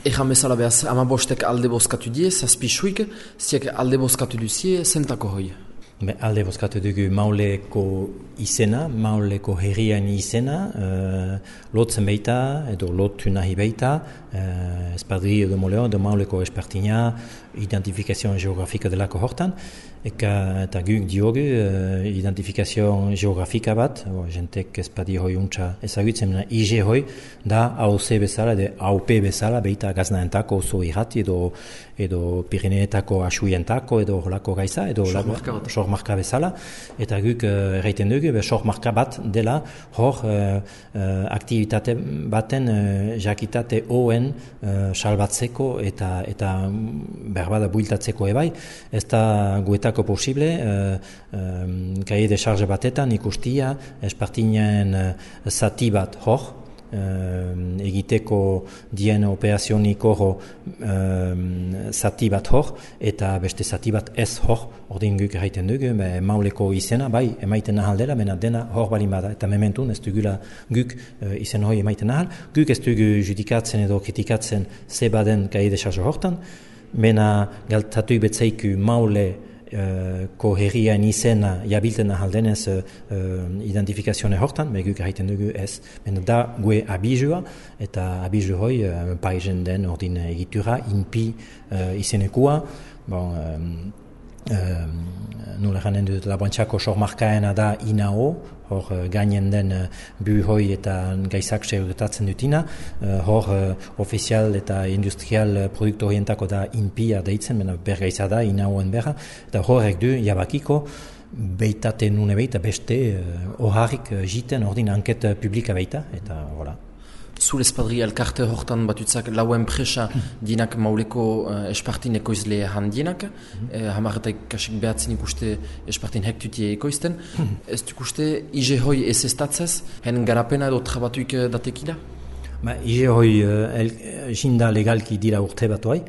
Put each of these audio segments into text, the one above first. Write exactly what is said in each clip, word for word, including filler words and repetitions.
Egan bezala behaz, ama bostek alde bozkatu die, zazpi suik, ziek alde bozkatu duzie, zentako hoi? Be, alde bozkatu dugu Mauleko izena, Mauleko herrian izena, uh, lotzen beita, edo lotu nahi beita, uh, espadri edo moleo, edo Mauleko espartina, identifikazioa geografika delako hortan, eka, eta guk diogu uh, identifikazioa geografika bat, o, jentek espadi hoi untsa ezagutzen, I G hoi, da A O C bezala, edo A O P bezala, beita gaznaentako oso irrati, edo, edo Pirineetako asuientako, edo horlako gaiza, edo marka bezala, eta guk uh, erraiten dugu, be sor marka bat dela hor uh, uh, aktivitate baten uh, jakitate hoen uh, salbatzeko eta eta berbada builtatzeko ebai, ez da guetako posible uh, um, kaie de charge batetan ikustia espartinen uh, zati bat hor, Uh, egiteko dien operazioniko uh, zati bat hor, eta beste zati bat ez hor, ordin guk erraiten dugu, be, Mauleko izena, bai, emaiten nahal dela, mena dena hor bali bada, eta mementun ez dugula guk uh, izen hori emaiten nahal, guk ez dugu judikatzen edo kritikatzen ze baden kaie de charge hortan, mena galtatu betzaiku Maule Uh, ko herrian izena jabilten ahaldenez uh, identifikazioa hortan, beguk erraiten dugu ez. Men da gue abizua, eta abizu hoi uh, paizen den ordin egitura, inpi uh, izenekua, bon, um, um, nula janen dut laboantxako sormarkaena da inao, hor uh, gainen den uh, bu hoi eta gaizak segurtatzen dutina, uh, hor uh, ofizial eta industrial uh, produktu horientako da inpia deitzen, mena bergaiza da inaoen berra, eta horrek du jabakiko beitate nune beita beste uh, oharrik uh, jiten ordin anket uh, publika beita, eta hola. Zure espadri elkarte hortan batutzak lau enpresa dinak Mauleko uh, espartin ekoizle handienak, mm-hmm. eh, hamarretak kasik behatzen ikuste espartin hektutie ekoizten. Mm-hmm. Ez dukuste I G hoi ez estatzez, hen garapena edo trabatuik datekila? Ba, I G hoi uh, jinda legalki dira urte batuai.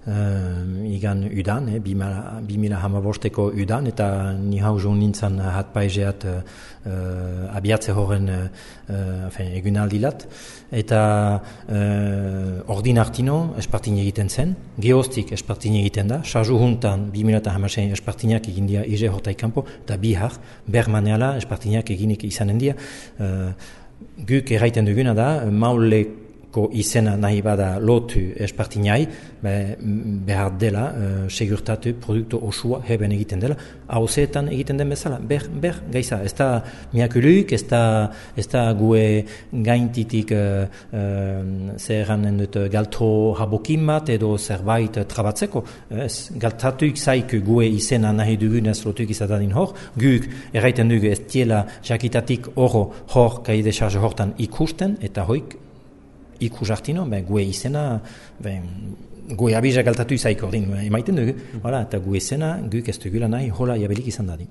Uh, igan udan, eh, bimila hamabosteko udan, eta ni hau joan nintzen hat paizeat uh, uh, abiatze horren uh, uh, egunaldilat, eta uh, ordin hartino espartin egiten zen, geostik espartin egiten da, sarju juntan bimila hamasein espartinak egin dia I G hortaik kanpo, eta bihar bermaneala espartinak eginik izanen dia. Uh, guk erraiten duguna da, Mauleko ko izena nahi bada lotu espartinai, be, behar dela uh, segurtatu produktu osua heben egiten dela, hauzeetan egiten den bezala, ber, ber, gaiza, ez da miakuluk, ez da, ez da gue gaintitik uh, uh, zerranen dut galtro habokin bat edo zerbait trabatzeko, ez, galtatuik zaik gue izena nahi dugunez lotuik izadanin hor, guk erraiten dugu ez diela jakitatik oro hor kaide charge hortan ikusten, eta hoik ikus hartino, ben, gue izena, ben, gue abiza galtatu izaik ordin, emaiten dugu, mm. Voilà, eta gue izena, guk ez dugula nahi, hola jabelik izan dadin.